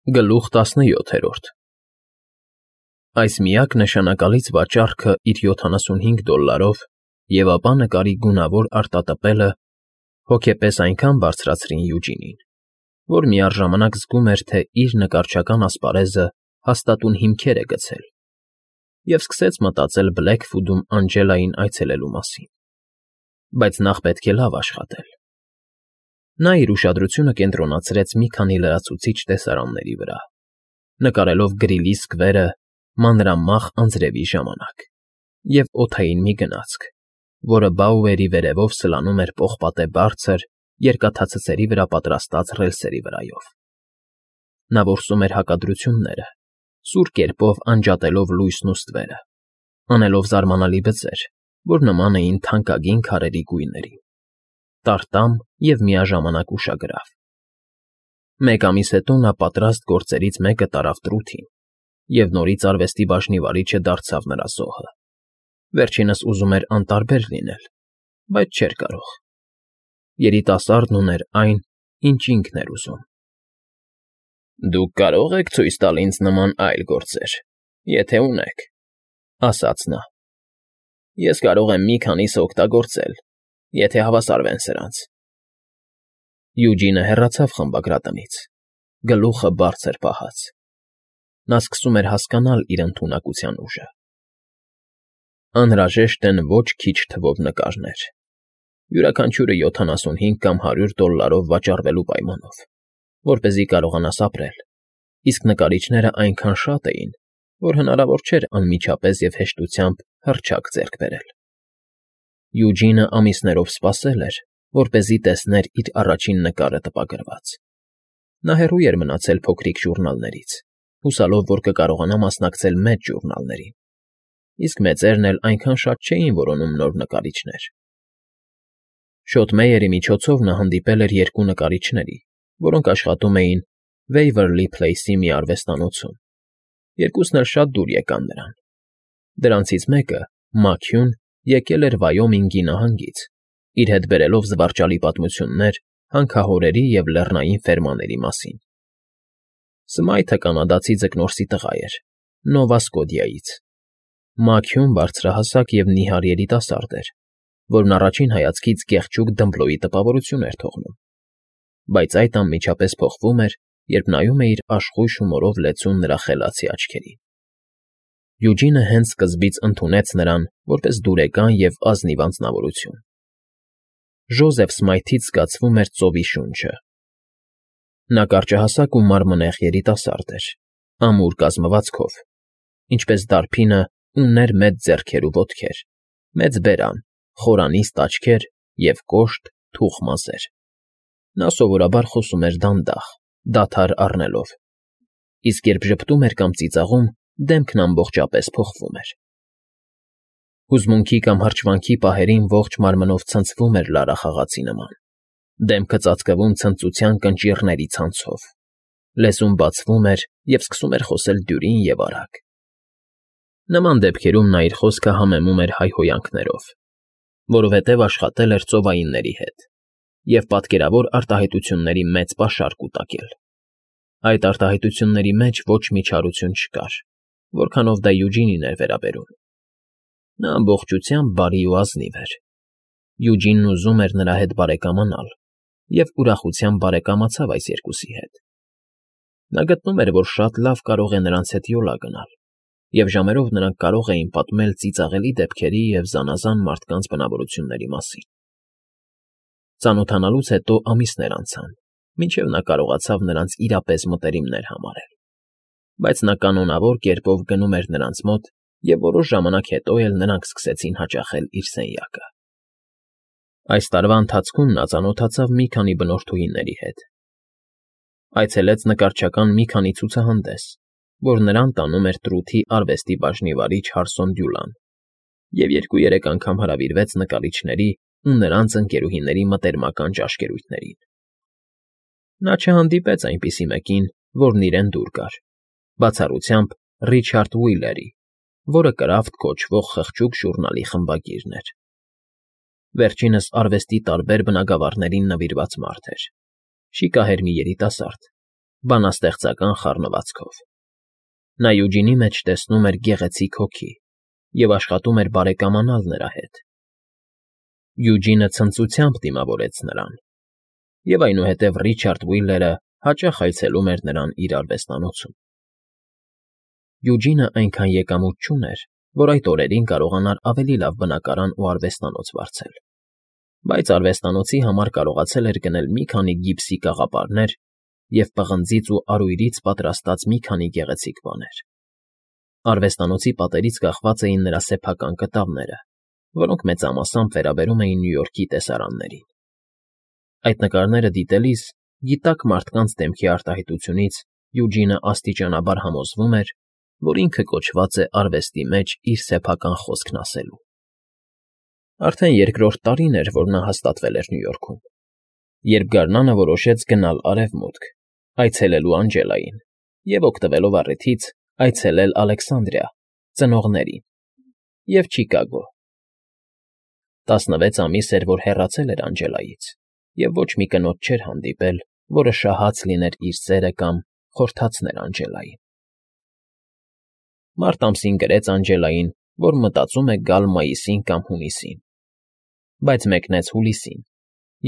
Գլուխ 17 Այս միակ նշանակալից վաճառքը իր $75 և ապա նկարի գունավոր արտատպելը հոգեպես այնքան բարձրացրին Յուջինին, որ միառժամանակ զգում էր, թե իր նկարչական ասպարեզը հաստատուն հիմքեր է գցել, և սկսեց մտածել Բլեքֆուդում Անջելային այցելելու մասին, բայց նախ պետք է լավ աշխատել։ Նա իր ուշադրությունը կենտրոնացրեց մի քանի լրացուցիչ տեսարանների վրա, նկարելով Գրիլի սկվերը մանրամախ անձրևի ժամանակ և օդային մի գնացք, որը Բաուերի վերևով սլանում էր պողպատե բարձր, երկաթացցերի վրա պատրաստած ռելսերի վրայով։ Նա որսում էր հակադրությունները, սուր կերպով անջատելով լույսն ու ստվերը, անելով զարմանալի բծեր, որ նման էին թանկագին քարերի գույներին, տարտամ և միաժամանակ ուշագրավ։ Մեկ ամիս հետո նա պատրաստ գործերից մեկը տարավ տռութին, և նորից արվեստի բաժնի վարիչը դարձավ նրա զոհը։ Վերջինս ուզում էր անտարբեր լինել, բայց չէր կարող։ Երիտասարդն ուներ այն, ինչ ինքն էր ուզում։ «Դուք կարող եք ցույց տալ ինձ նման այլ գործեր, եթե ունեք,֊ ասաց նա։ Ես կարող եմ մի քանիսը օգտագործել, եթե հավասարվեն սրանց»։ Յուջինը հեռացավ խմբագրատնից, գլուխը բարձր պահած։ Նա սկսում էր հասկանալ իր ընդունակության ուժը։ Անհրաժեշտ են ոչ քիչ թվով նկարներ, յուրաքանչյուրը $75 կամ $100 վաճառվելու պայմանով, որպեսզի կարողանաս ապրել, իսկ նկարիչներն այնքան շատ էին, որ հնարավոր չէր անմիջապես և հեշտությամբ հռչակ ձեռք բերել։ Յուջինը ամիսներով սպասել էր, որպեսզի տեսներ իր առաջին նկարը տպագրված։ Նա հեռու էր մնացել փոքրիկ ժուռնալներից, հուսալով, որ կկարողանա մասնակցել մեծ ժուռնալներին, իսկ մեծերն էլ այնքան շատ չէին որոնում նոր նկարիչներ։ Շոթմեյերի միջոցով նա հանդիպել էր երկու նկարիչների, որոնք աշխատում էին Վեյվերլի Փլեյսի մի արվեստանոցում։ Երկուսն էլ շատ դուր եկան նրան։ Դրանցից մեկը՝ Մաքյուն, եկել էր Վայոմինգի նահանգից, իր հետ բերելով զվարճալի պատմություններ հանքահորերի և լեռնային ֆերմաների մասին։ Սմայթը կանադացի ձկնորսի տղա էր, Նովա Սկոդիայից։ Մաքյուն բարձրահասակ և նիհար երիտասարդ էր, որն առաջին հայացքից գեղեցիկ դմբլոյի տպավորություն էր թողնում, բայց այդ անմիջապես փոխվում էր, երբ նայում էիր աշխույժ հումորով լեցուն նրա խելացի աչքերին։ Յուջինը հենց սկզբից ընդունեց նրան որպես դուրեկան և ազնիվ անձնավորություն։ Ժոզեֆ Սմայթից զգացվում էր ծովի շունչը։ Նա կարճահասակ ու մարմնեղ երիտասարդ էր, ամուր կազմվածքով, ինչպես դարբինը ուներ մեծ ձեռքեր ու ոտքեր, մեծ բերան, խորանիստ աչքեր և կոշտ, թուխ մազեր։ Նա սովորաբար խոսում էր դանդաղ, դադար առնելով, իսկ երբ ժպտում էր կամ ծիծաղում, դեմքն ամբողջապես փոխվում էր։ Հուզմունքի կամ հրճվանքի պահերին ողջ մարմնով ցնցվում էր լարախաղացի նման, դեմքը ծածկվում ցնծության կնճիռների ցանցով, լեզուն բացվում էր և սկսում էր խոսել դյուրին և արագ։ Նման դեպքերում նա իր խոսքը համեմում էր հայհոյանքներով, որովհետև աշխատել էր ծովայինների հետ և պատկերավոր արտահայտությունների մեծ պաշար կուտակել։ Այդ արտահայտությունների մեջ ոչ մի չարություն չկար, որքանով դա Յուջինին էր վերաբերում։ Նա ամբողջությամբ բարի ու ազնիվ էր։ Յուջինն ուզում էր նրա հետ բարեկամանալ և ուրախությամբ բարեկամացավ այս երկուսի հետ։ Նա գտնում էր, որ շատ լավ կարող է նրանց հետ յոլա գնալ, և ժամերով նրանք կարող էին պատմել ծիծաղելի դեպքերի և զանազան մարդկանց բնավորությունների մասին։ Ծանոթանալուց հետո ամիսներ անցան, մինչև նա կարողացավ նրանց իրապես մտերիմներ համարել, բայց նա կանոնավոր կերպով գնում էր նրանց մոտ և որոշ ժամանակ հետո էլ նրանք սկսեցին հաճախել իր սենյակը։ Այս տարվա ընթացքում նա ծանոթացավ մի քանի բնորդուհիների հետ։ Այցելեց նկարչական մի քանի ցուցահանդես, որ նրան տանում էր տռութի արվեստի բաժնի վարիչ Հարսոն Դյուլան, և 2-3 անգամ հրավիրվեց նկարիչների ու նրանց ընկերուհիների մտերմական ճաշկերույթներին։ Նա չհանդիպեց այնպիսի մեկին, որն իրեն դուր գար, բացառությամբ Ռիչարդ Ուիլերի, որը Կրաֆտ կոչվող խղճուկ ժուռնալի խմբագիրն էր։ Վերջինս արվեստի տարբեր բնագավառներին նվիրված մարդ էր, շիկահեր մի երիտասարդ, բանաստեղծական խառնվածքով։ Նա Յուջինի մեջ տեսնում էր գեղեցիկ հոգի և աշխատում էր բարեկամանալ նրա հետ։ Յուջինը ցնծությամբ դիմավորեց նրան, և այնուհետև Ռիչարդ Ուիլլերը հաճախ այցելում էր նրան իր արվեստանոցում։ Յուջինը այնքան եկամուտ չուներ, որ այդ օրերին կարողանար ավելի լավ բնակարան ու արվեստանոց վարձել, բայց արվեստանոցի համար կարողացել էր գնել մի քանի գիպսի կաղապարներ և պղնձից ու արույրից պատրաստած մի քանի գեղեցիկ բաներ։ Արվեստանոցի պատերից կախված էին նրա սեփական կտավները, որոնք մեծամասամբ վերաբերում էին Նյու Յորքի տեսարաններին։ Այդ նկարները դիտելիս գիտակ մարդկանց դեմքի արտահայտությունից Յուջինը աստիճանաբար համոզվում էր, որ ինքը կոչված է արվեստի մեջ իր սեփական խոսքն ասելու։ Արդեն երկրորդ տարին էր, որ նա հաստատվել էր Նյու Յորքում, երբ գարնանը որոշեց գնալ Արևմուտք, այցելելու Անջելային և, օգտվելով առիթից, այցելել Ալեքսանդրիա, ծնողներին և Չիկագո։ 16 ամիս էր, որ հեռացել էր Անջելայից, և ոչ մի կնոջ չէր հանդիպել, որը շահած լիներ իր սերը կամ խորհրդացներ Անջելային։ Մարտ ամսին գրեց Անջելային, որ մտածում է գալ մայիսին կամ հունիսին, բայց մեկնեց հուլիսին,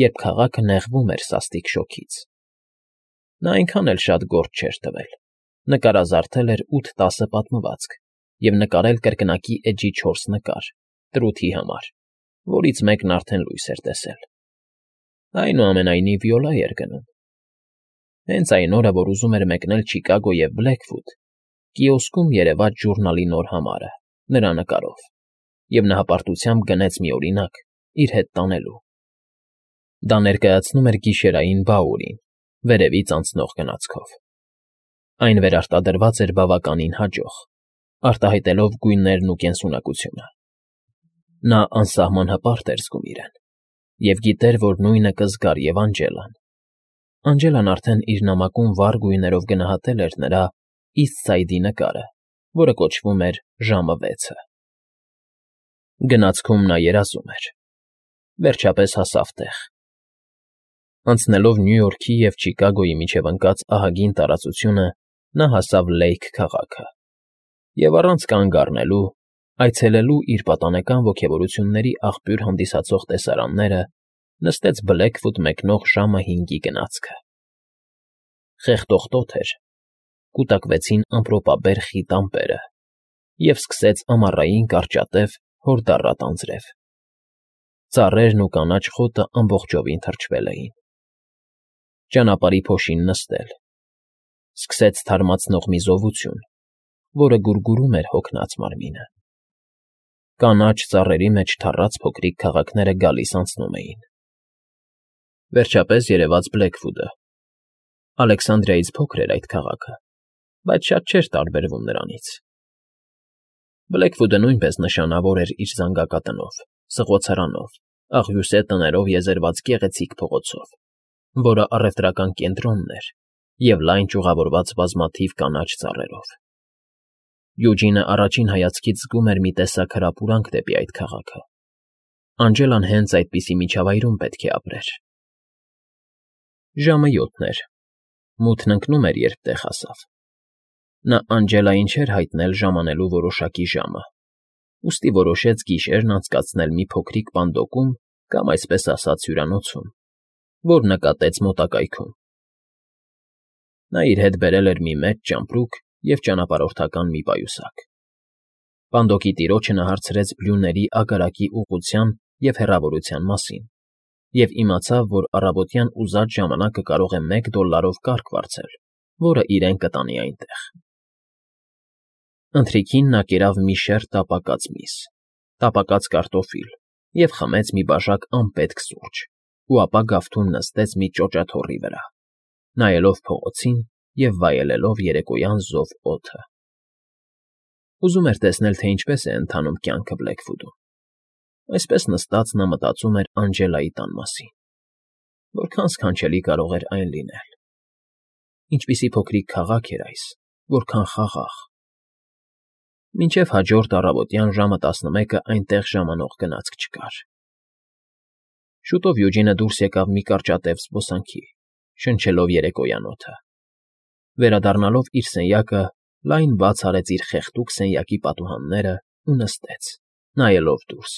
երբ քաղաքը նեղվում էր սաստիկ շոգից։ Նա այնքան էլ շատ գործ չէր տվել, նկարազարդել էր 8-10 պատմվածք և նկարել կրկնակի էջի 4 նկար՝ տռութի համար, որից մեկն արդեն լույս էր տեսել։ Այնուամենայնիվ յոլա էր գնում։ Հենց այն օրը, որ ուզում էր մեկնել Չիկագո և Բլեքվուդ, կիոսկում երևաց ժուրնալի նոր համարը, նրա նկարով, և նա հպարտությամբ գնեց մի օրինակ՝ իր հետ տանելու։ Դա ներկայացնում էր գիշերային Բաուրին, վերևից անցնող գնացքով։ Այն վերարտադրված էր բավականին հաջող, արտահայտելով գույներն ու կենսունակությունը։ Նա անսահման հպարտ էր զգում իրեն և գիտեր, որ նույնը կզգար և Անջելան։ Անջելան արդեն իր նամակում վառ գույներով գնահատել էր նրա Իսթ Սայդի նկարը, որը կոչվում էր Ժամը 6-ը։ Գնացքում նա երազում էր։ Վերջապես հասավ տեղ։ Անցնելով Նյու Յորքի և Չիկագոյի միջև ընկած ահագին տարածությունը՝ նա հասավ Լեյք քաղաքը և, առանց կանգ առնելու, այցելելու իր պատանեկան ոգևորությունների աղբյուր հանդիսացող տեսարանները, նստեց Բլեքվուդ մեկնող ժամը 5-ի գնացքը։ Խեղդող տոթ էր, կուտակվեցին ամպրոպաբեր խիտ ամպերը, և սկսեց ամառային կարճատև հորդառատ անձրև։ Ծառերն ու կանաչ խոտը ամբողջովին թրջվել էին։ Ճանապարհի փոշին նստել։ Սկսեց թարմացնող մի զովություն, որը գուրգուրում էր հոգնած մարմինը։ Կանաչ ծառերի մեջ թառած փոքրիկ քաղաքները գալիս֊անցնում էին։ Վերջապես երևաց Բլեքվուդը։ Ալեքսանդրիայից փոքր էր այդ քաղաքը, բայց շատ չէր տարբերվում նրանից։ Բլեքվուդը նույնպես նշանավոր էր իր զանգակատնով, սղոցարանով, աղյուսե տներով եզերված գեղեցիկ փողոցով, որը առևտրական կենտրոնն էր և լայն ճյուղավորված բազմաթիվ կանաչ ծառերով։ Յուջինը առաջին հայացքից զգում էր մի տեսակ հրապուրանք դեպի այդ քաղաքը։ Անջելան հենց այդպիսի միջավայրում պետք է ապրեր։ Ժամը 7 էր։ Մութն ընկնում էր, երբ տեղ հասավ։ Նա Անջելային չէր հայտնել ժամանելու որոշակի ժամը, ուստի որոշեց գիշերն անցկացնել մի փոքրիկ պանդոկում կամ, այսպես ասած, հյուրանոցում, որ նկատեց մոտակայքում։ Նա իր հետ բերել էր մի մեծ ճամպրուկ և ճանապարհորդական մի պայուսակ։ Պանդոկի տիրոջը նա հարցրեց բլյուրների ագարակի ուղղության և հեռավորության մասին և իմացավ, որ առավոտյան ուզած ժամանակը կարող է $1 կարգ վարձել, որը իրեն կտանի այնտեղ։ Ընթրիքին նա կերավ մի շեռ տապակած միս, տապակած կարտոֆիլ և խմեց մի բաժակ անպետք սուրճ ու ապա գավթում նստեց մի ճոճաթոռի վրա, նայելով փողոցին և վայելելով երեկոյան զով օդը։ Ուզում էր տեսնել, թե ինչպես է ընթանում կյանքը Բլեքվուդում։ Այսպես նստած նա մտածում էր Անջելայի տան մասին։ Որքան սքանչելի կարող էր այն լինել։ Ինչպիսի փոքրիկ քաղաք էր այս, որքան խաղաղ։ Մինչև հաջորդ առավոտյան ժամը 11-ը այնտեղ ժամանող գնացք չկար։ Շուտով Յուջինը դուրս եկավ մի կարճատև զբոսանքի, շնչելով երեկոյան օդը։ Վերադառնալով իր սենյակը, լայն բաց արեց իր խեղդուկ սենյակի պատուհաններն ու նստեց, նայելով դուրս.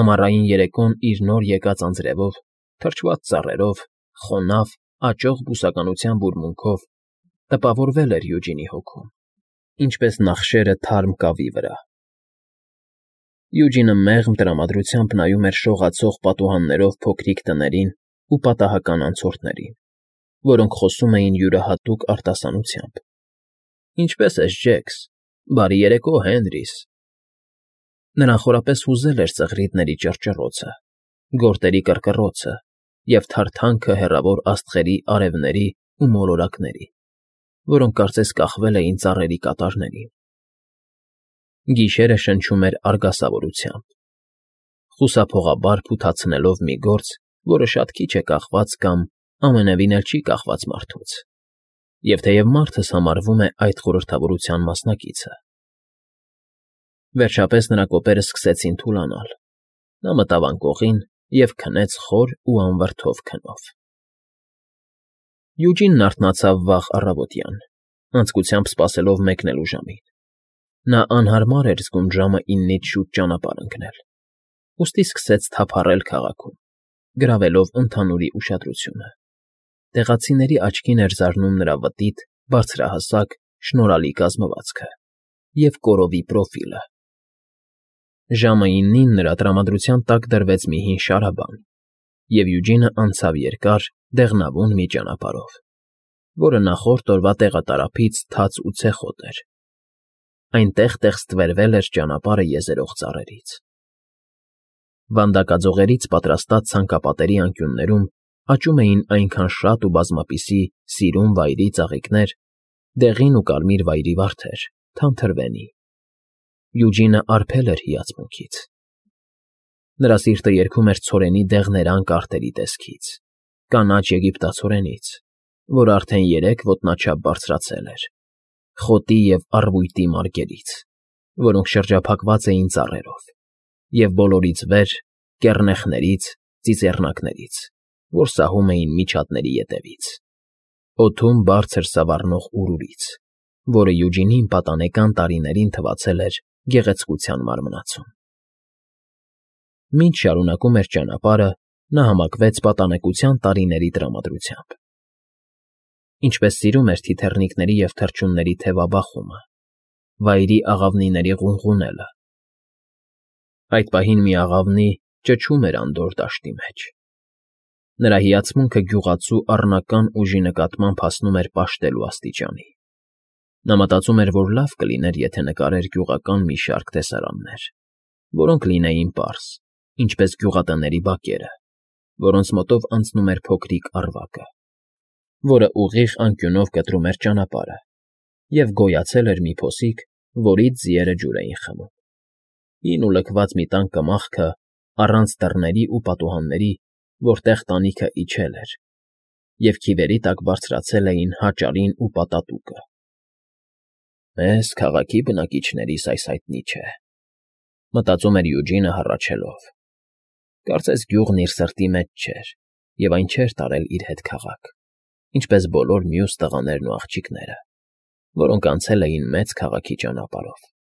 ամառային երեկոն իր նոր եկած անձրևով, թրջված ծառերով, խոնավ, աճող բուսականության բուրմունքով տպավորվել էր Յուջինի հոգում, ինչպես նախշերը թարմ կավի վրա։ Յուջինը մեղմ տրամադրությամբ նայում էր շողացող պատուհաններով փոքրիկ տներին ու պատահական անցորդներին, որոնք խոսում էին յուրահատուկ արտասանությամբ. «Ինչպե՞ս ես, Ջեքս, բարի երեկո, Հենրիս»։ Նրան խորապես հուզել էր ծղրիդների ճռճռոցը, գորտերի կռկռոցը և թարթանքը հեռավոր աստղերի արևների ու մոլորակների, որոնք կարծես կախվել էին ծառերի կատարներին։ Գիշերը շնչում էր արգասավորությամբ, խուսափողաբար փութացնելով մի գործ, որը շատ քիչ է կախված կամ ամենևին էլ չի կախված մարդուց, և թեև մարդս համարվում է այդ խորհրդավորության մասնակիցը։ Վերջապես նրա կոպերը սկսեցին թուլանալ, նա մտավ անկողին և քնեց խոր ու անվրդով քնով։ Յուջինն արթնացավ վաղ առավոտյան, անձկությամբ սպասելով մեկնելու ժամին։ Նա անհարմար էր զգում ժամը 9-ից շուտ ճանապարհ ընկնել, ուստի սկսեց թափառել քաղաքում, գրավելով ընդհանուրի ուշադրությունը։ Տեղացիների աչքին էր զարնում նրա վտիտ, բարձրահասակ, շնորհալի կազմվածքը և կորովի պրոֆիլը։ Ժամը 9-ին նրա տրամադրության տակ դրվեց մի հին շարաբան, և Յուջինը անցավ երկար, դեղնավուն մի ճանապարհով, որը նախորդ օրվա տեղատարափից թաց ու ցեխոտ էր։ Այնտեղ ստվերվել էր ճանապարհը եզերող ծառերից։ Վանդակաձողերից պատրաստած ցանկապատերի անկյուններում աճում էին այնքան շատ ու բազմապիսի սիրուն վայրի ծաղիկներ, դեղին ու կարմիր վայրի վարդեր, թանթրվենի։ Յուջինը արբել էր հիացմունքից։ Նրա սիրտը երգում էր ցորենի դեղներան կարտերի տեսքից, կանաչ եգիպտացորենից, որ արդեն 3 ոտնաչափ բարձրացել էր, խոտի և առվույտի մարգերից, որոնք շրջափակված էին ծառերով, և բոլորից վեր կեռնեխներից, ծիծեռնակներից, որ սահում էին միջատների ետևից, օդում բարձր սավառնող ուռուրից, որը Յուջինին պատանեկան տարիներին թվացել էր գեղեցկության մարմնացում։ Մինչ շարունակում էր ճանապարհը, նա համակվեց պատանեկության տարիների տրամադրությամբ։ Ինչպես սիրում էր թիթեռնիկների և թռչունների թևաբախումը, վայրի աղավնիների ղունղունելը։ Այդ պահին մի աղավնի ճչում էր անդորր դաշտի մեջ։ Նրա հիացմունքը գյուղացու առնական ուժի նկատմամբ հասնում էր պաշտելու աստիճանի։ Նա մտածում էր, որ լավ կլիներ, եթե նկարեր գյուղական մի շարք տեսարաններ, որոնք լինեին պարզ, ինչպես գյուղատների բակերը, որոնց մոտով անցնում էր փոքրիկ առվակը, որը ուղիղ անկյունով կտրում էր ճանապարհը, և գոյացել էր մի փոսիկ, որից ձիերը ջուր էին խմում։ Հին ու լքված մի տան կմախքը, առանց դռների ու պատուհանների, որտեղ տանիքը իջել էր, և քիվերի տակ բարձրացել էին հաճարին ու պատատուկը։ «Մեզ, քաղաքի բնակիչներիս, այս հայտնի չէ», մտածում էր Յուջինը հառաչելով։ Կարծես գյուղն իր սրտի մեջ չէր և այն չէր տարել իր հետ քաղաք, ինչպես բոլոր մյուս տղաներն ու աղջիկները, որոնք անցել էին մեծ քաղաքի ճանապարհով։